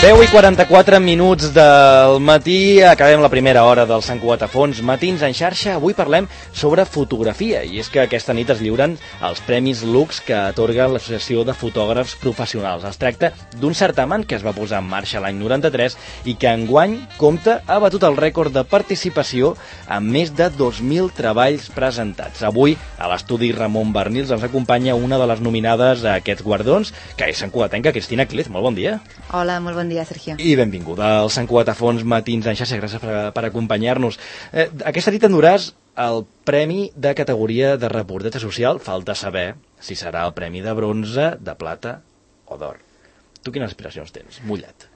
10:44 del matí, acabem la primera hora del Sant Cugat a Fons, Matins en xarxa. Avui parlem sobre fotografia, i és que aquesta nit es lliuren els Premis Lux que atorga l'Associació de Fotògrafs Professionals. Es tracta d'un certamen que es va posar en marxa l'any 93 i que enguany ha batut el rècord de participació amb més de 2.000 treballs presentats. Avui, a l'estudi Ramon Barnils, ens acompanya una de les nominades a aquests guardons, que és santcugatenca, Cristina Clez. Molt bon dia. Hola, molt bon dia, Sergio. I benvinguda al Sant Cugat a Fons, Matins en xarxa. Gràcies per acompanyar-nos. Aquesta nit enduràs el Premi de categoria de reportatge social. Falta saber si serà el premi de bronze, de plata o d'or. Tu quines aspiracions tens? Mullat.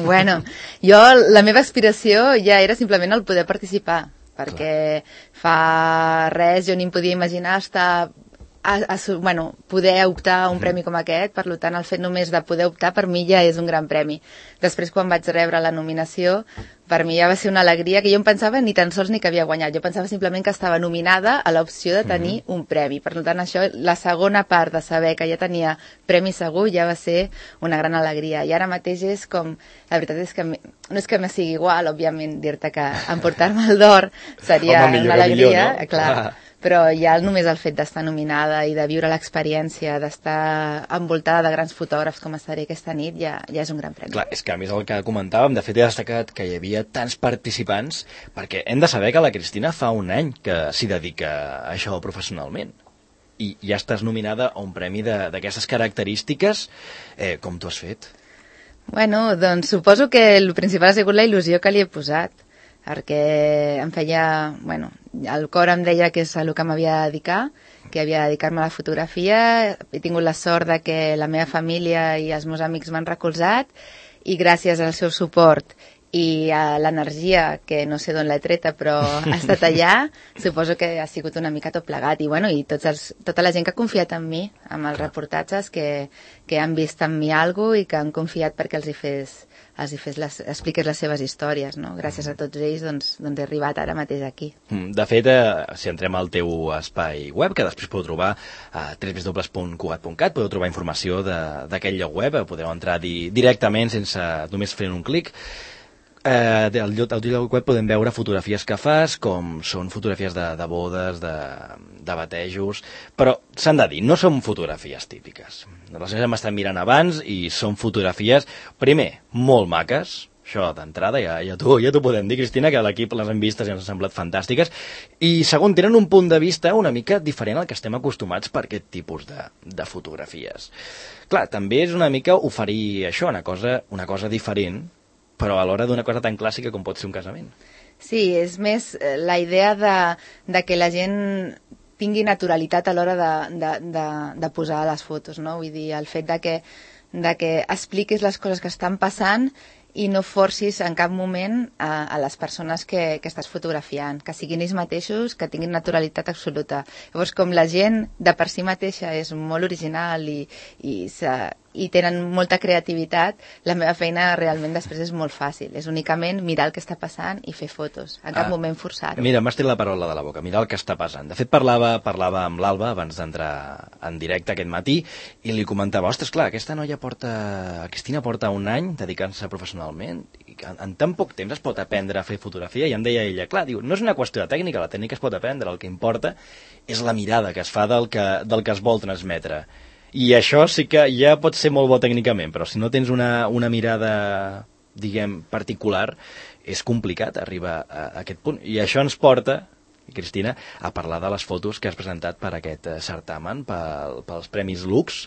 Bueno, jo, la meva aspiració ja era simplement el poder participar, perquè fa res jo ni em podia imaginar poder optar a un premi com aquest. Per tant, el fet només de poder optar per mi ja és un gran premi. Després, quan vaig rebre la nominació, per mi ja va ser una alegria que jo em pensava ni tan sols ni que havia guanyat. Jo pensava simplement que estava nominada a l'opció de tenir un premi. Per tant, això, la segona part de saber que ja tenia premi segur, ja va ser una gran alegria. I ara mateix és com... La veritat és que no és que me sigui igual, òbviament, dir-te que emportar-me el d'or seria una alegria, no? Clar. Però ja només el fet d'estar nominada i de viure l'experiència, d'estar envoltada de grans fotògrafs com estaré aquesta nit, ja és un gran premi. Clar, és que a més el que comentàvem, de fet he destacat que hi havia tants participants, perquè hem de saber que la Cristina fa un any que s'hi dedica a això professionalment. I ja estàs nominada a un premi d'aquestes característiques. Com t'ho has fet? Bueno, doncs suposo que el principal ha sigut la il·lusió que li he posat, perquè em feia... Bueno, el cor em deia que és el que m'havia de dedicar, que havia de dedicar-me a la fotografia. He tingut la sort de que la meva família i els meus amics m'han recolzat, i gràcies al seu suport i a l'energia, que no sé d'on l'he treta, però ha estat allà, suposo que ha sigut una mica tot plegat. I, bueno, i tota la gent que ha confiat en mi, amb els reportatges, que han vist en mi alguna cosa i que han confiat perquè expliqués les seves històries, no? Gràcies a tots ells, doncs he arribat ara mateix aquí. De fet, si entrem al teu espai web, que després podeu trobar a www.cugat.cat, podeu trobar informació d'aquest lloc web, podeu entrar directament sense només fer un clic. Al lloc web podem veure fotografies que fas, com són fotografies de bodes, de batejos, però s'han de dir, no són fotografies típiques. Les hem estat mirant abans i són fotografies, primer, molt maques, això d'entrada ja t'ho podem dir, Cristina, que a l'equip les hem vistes i ens han semblat fantàstiques, i segon, tenen un punt de vista una mica diferent al que estem acostumats per aquest tipus de fotografies. Clar, també és una mica oferir això, una cosa diferent, però alhora d'una cosa tan clàssica com pot ser un casament. Sí, és més la idea de que la gent tingui naturalitat a l'hora de posar les fotos, no? Vull dir, el fet de que expliquis les coses que estan passant i no forcis en cap moment a les persones que estàs fotografiant, que siguin ells mateixos, que tinguin naturalitat absoluta. Llavors, com la gent de per si mateixa és molt original i tenen molta creativitat, la meva feina realment després és molt fàcil. És únicament mirar el que està passant i fer fotos. En cap moment forçar-ho. Mira, m'has tret la paraula de la boca, mirar el que està passant. De fet, parlava amb l'Alba abans d'entrar en directe aquest matí i li comentava, ostres, clar, Cristina porta un any dedicant-se professionalment i en tan poc temps es pot aprendre a fer fotografia, i em deia ella, clar, diu, no és una qüestió de tècnica, la tècnica es pot aprendre, el que importa és la mirada que es fa del que es vol transmetre. I això sí que ja pot ser molt bo tècnicament, però si no tens una mirada, diguem, particular, és complicat arribar a aquest punt. I això ens porta, Cristina, a parlar de les fotos que has presentat per aquest certamen, pels Premis Lux.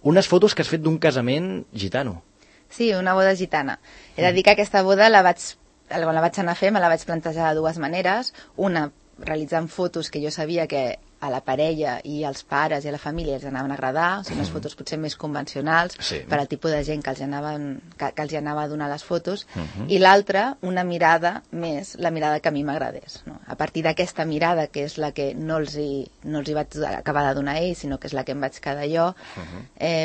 Unes fotos que has fet d'un casament gitano. Sí, una boda gitana. He de dir que aquesta boda quan la vaig anar a fer me la vaig plantejar de dues maneres. Una, realitzant fotos que jo sabia que a la parella i als pares i a la família els anaven a agradar, o sigui, unes fotos potser més convencionals, sí, per al tipus de gent que els anava a donar les fotos, i l'altra, una mirada més, la mirada que a mi m'agradés, no? A partir d'aquesta mirada, que és la que no els hi vaig acabar de donar a ells, sinó que és la que em vaig quedar jo,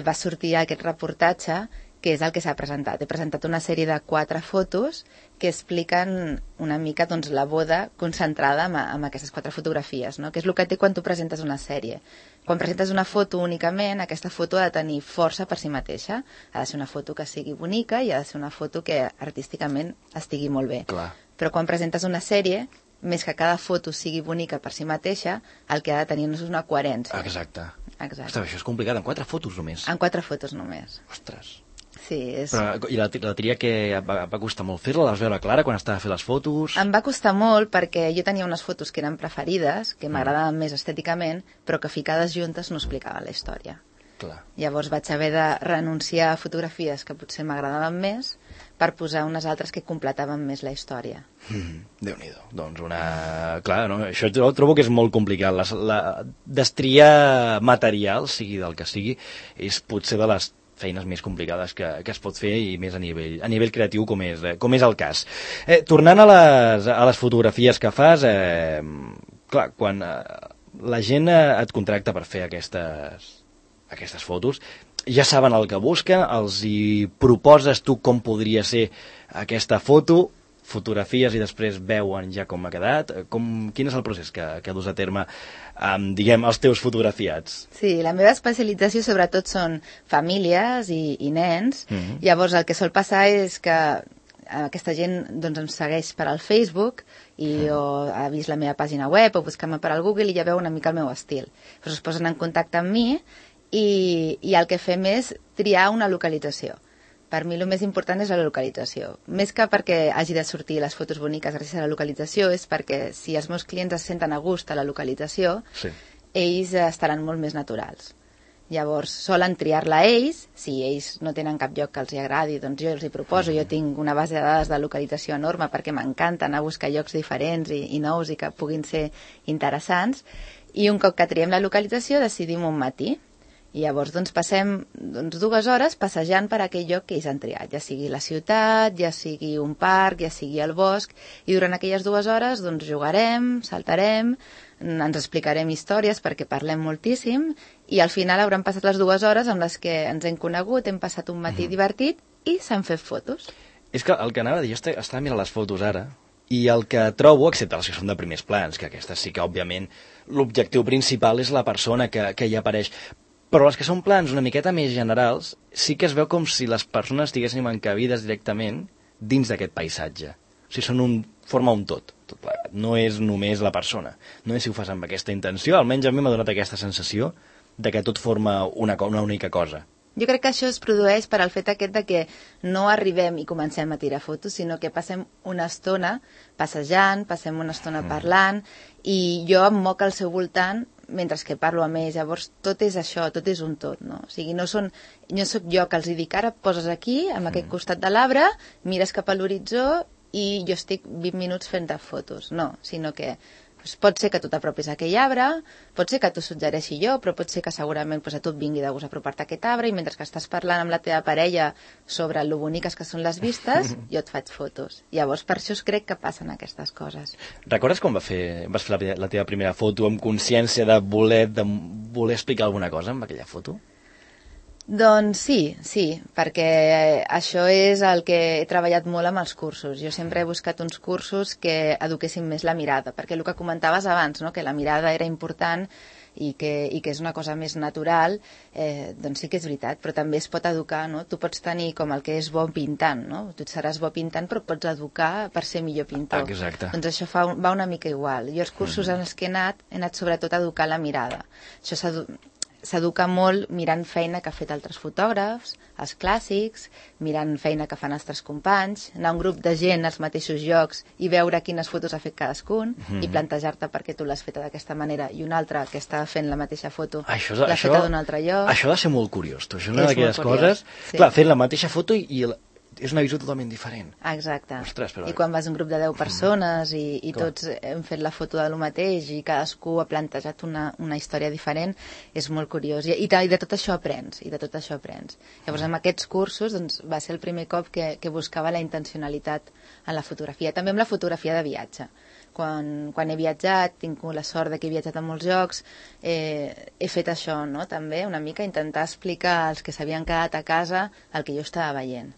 va sortir aquest reportatge que és el que s'ha presentat. He presentat una sèrie de 4 fotos que expliquen una mica doncs, la boda concentrada en aquestes 4 fotografies, no? Que és el que té quan tu presentes una sèrie. Quan presentes una foto únicament, aquesta foto ha de tenir força per si mateixa. Ha de ser una foto que sigui bonica i ha de ser una foto que artísticament estigui molt bé. Clar. Però quan presentes una sèrie, més que cada foto sigui bonica per si mateixa, el que ha de tenir és una coherència. Exacte. Exacte. Ostres, això és complicat, en 4 fotos només. En 4 fotos només. Ostres. Sí, és... Però, i la tria que va costar molt fer-la? La vas veure clara quan estava a fer les fotos? Em va costar molt perquè jo tenia unes fotos que eren preferides, que m'agradaven més estèticament, però que ficades juntes no explicaven la història. Clar. Llavors vaig haver de renunciar a fotografies que potser m'agradaven més per posar unes altres que completaven més la història. Déu-n'hi-do. Doncs clar, no? Això trobo que és molt complicat. Destriar material, sigui del que sigui, és potser de les feines més complicades que es pot fer i més a nivell creatiu com és el cas. Tornant a les fotografies que fas, clar, quan la gent et contracta per fer aquestes fotos, ja saben el que busquen, els hi proposes tu com podria ser aquesta foto, fotografies i després veuen ja com ha quedat. Quin és el procés que dus a terme diguem, els teus fotografiats? Sí, la meva especialització sobretot són famílies i nens. Llavors el que sol passar és que aquesta gent doncs, em segueix per al Facebook i o ha vist la meva pàgina web o busca-me per al Google i ja veu una mica el meu estil. Llavors es posen en contacte amb mi i el que fem és triar una localització. Per mi el més important és la localització. Més que perquè hagi de sortir les fotos boniques gràcies a la localització, és perquè si els meus clients es senten a gust a la localització, sí, ells estaran molt més naturals. Llavors, solen triar-la ells, si ells no tenen cap lloc que els agradi, doncs jo els hi proposo, jo tinc una base de dades de localització enorme perquè m'encanta anar a buscar llocs diferents i nous i que puguin ser interessants, i un cop que triem la localització decidim un matí. I llavors doncs, passem 2 hores passejant per aquell lloc que ells han triat, ja sigui la ciutat, ja sigui un parc, ja sigui el bosc, i durant aquelles 2 hores doncs, jugarem, saltarem, ens explicarem històries perquè parlem moltíssim, i al final hauran passat les 2 hores amb les que ens hem conegut, hem passat un matí divertit i s'han fet fotos. És que el que anava a dir, jo estava mirant les fotos ara, i el que trobo, excepte les que són de primers plans, que aquestes sí que, òbviament, l'objectiu principal és la persona que hi apareix, però les que són plans una miqueta més generals sí que es veu com si les persones estiguessin encabides directament dins d'aquest paisatge. O sigui, forma un tot plegat. No és només la persona. No és si ho fas amb aquesta intenció, almenys a mi m'ha donat aquesta sensació de que tot forma una única cosa. Jo crec que això es produeix per al fet aquest de que no arribem i comencem a tirar fotos, sinó que passem una estona passejant, passem una estona parlant, i jo em moc al seu voltant mentre que parlo amb ells. Llavors tot és això, tot és un tot, no? O sigui, no soc jo que els dic ara poses aquí, amb aquest costat de l'arbre, mires cap a l'horitzó i jo estic 20 minuts fent fotos, no, sinó que pot ser que tu t'apropis a aquell arbre, pot ser que t'ho suggereixi jo, però pot ser que segurament a tu et vingui de gust apropar-te a aquest arbre i mentre que estàs parlant amb la teva parella sobre lo boniques que són les vistes, jo et faig fotos. Llavors, per això crec que passen aquestes coses. Recordes quan vas fer la teva primera foto amb consciència de voler explicar alguna cosa amb aquella foto? Doncs sí, perquè això és el que he treballat molt amb els cursos. Jo sempre he buscat uns cursos que eduquessin més la mirada, perquè el que comentaves abans, no? Que la mirada era important i que és una cosa més natural, doncs sí que és veritat, però també es pot educar, no? Tu pots tenir com el que és bo pintant, no? Tu seràs bo pintant, però pots educar per ser millor pintor. Exacte. Doncs això va una mica igual. Jo els cursos en els que he anat sobretot a educar la mirada. Això s'educa molt mirant feina que ha fet altres fotògrafs, els clàssics, mirant feina que fan altres companys, anar a un grup de gent als mateixos llocs i veure quines fotos ha fet cadascun i plantejar-te per què tu l'has feta d'aquesta manera i un altre que està fent la mateixa foto l'ha feta d'un altre lloc. Això ha de ser molt curiós. Això és una d'aquelles coses... Sí. Clar, fent la mateixa foto i és una visió totalment diferent. Exacte. Ostres, però... I quan vas a un grup de 10 persones i tots hem fet la foto de lo mateix i cadascú ha plantejat una història diferent, és molt curiós. I de tot això aprens, Llavors, amb aquests cursos doncs, va ser el primer cop que buscava la intencionalitat en la fotografia. També amb la fotografia de viatge. quan he viatjat, tinc la sort de que he viatjat a molts llocs, he fet això, no? També una mica intentar explicar als que s'havien quedat a casa el que jo estava veient.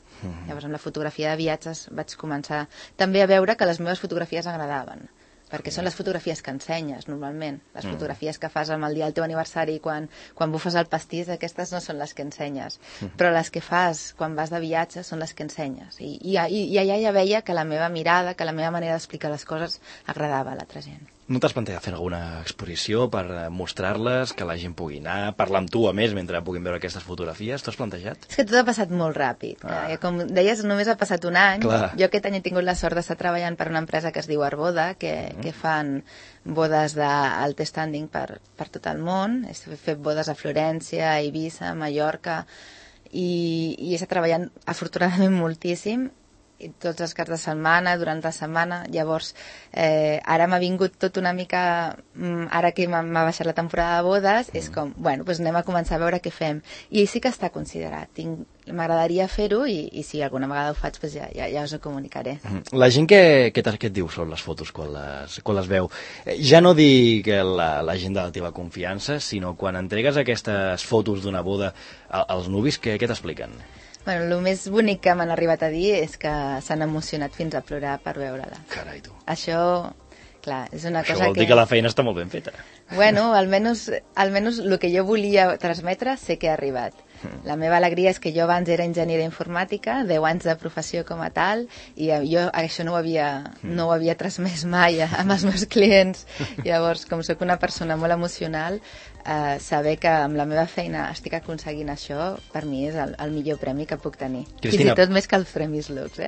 Llavors amb la fotografia de viatges vaig començar també a veure que les meves fotografies agradaven, perquè són les fotografies que ensenyes normalment, les fotografies que fas el dia del teu aniversari quan bufes el pastís, aquestes no són les que ensenyes, però les que fas quan vas de viatge són les que ensenyes, i allà ja veia que la meva mirada, que la meva manera d'explicar les coses agradava a l'altra gent. No t'has plantejat fer alguna exposició per mostrar-les, que la gent pugui anar, parlar amb tu a més mentre puguin veure aquestes fotografies? T'ho has plantejat? És que tot ha passat molt ràpid. Com deies, només ha passat un any. Clar. Jo aquest any he tingut la sort d'estar treballant per una empresa que es diu Arboda, que fan bodes d'alt standing per tot el món. He fet bodes a Florència, a Eivissa, a Mallorca, i he estat treballant afortunadament moltíssim, i tots els caps de setmana, durant la setmana. Llavors, ara m'ha vingut tot una mica, ara que m'ha baixat la temporada de bodes, és com, bueno, doncs anem a començar a veure què fem. I sí que està considerat. M'agradaria fer-ho i si alguna vegada ho faig, doncs ja us ho comunicaré. La gent què et diu sobre les fotos quan les veu? Ja no dic la gent de la teva confiança, sinó quan entregues aquestes fotos d'una boda als nuvis, què t'expliquen? Bueno, el més bonic que m'han arribat a dir és que s'han emocionat fins a plorar per veure-la. Carai, tu. Això, clar, és una cosa que... Això vol dir que la feina està molt ben feta. Bueno, almenys el que jo volia transmetre sé que ha arribat. La meva alegria és que jo abans era enginyera informàtica, 10 anys de professió com a tal, i jo això no ho havia transmès mai amb els meus clients. Llavors, com sóc una persona molt emocional, saber que amb la meva feina estic aconseguint això, per mi és el millor premi que puc tenir. Cristina, fins i tot més que els Premis Lux,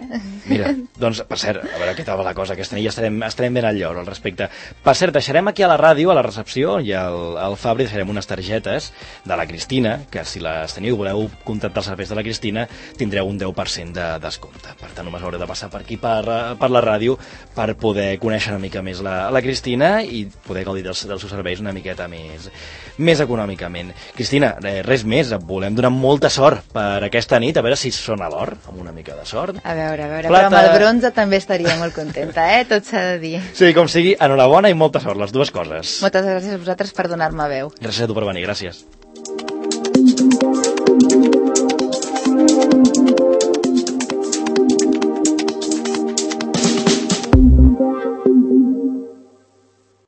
Mira, doncs, per cert, a veure què tal va la cosa, aquesta nit ja estarem ben al lloc al respecte. Per cert, deixarem aquí a la ràdio, a la recepció, i al Fabri deixarem unes targetes de la Cristina, que si les teniu i voleu contractar els serveis de la Cristina, tindreu un 10% de descompte. Per tant, només haureu de passar per aquí, per la ràdio, per poder conèixer una mica més la Cristina i poder gaudir dels seus serveis una miqueta més econòmicament. Cristina, res més, et volem donar molta sort per aquesta nit, a veure si sona l'or, amb una mica de sort. A veure, però amb el bronze també estaria molt contenta, tot s'ha de dir. Sí, com sigui, enhorabona i molta sort, les dues coses. Moltes gràcies a vosaltres per donar-me veu. Gràcies a tu per venir, gràcies.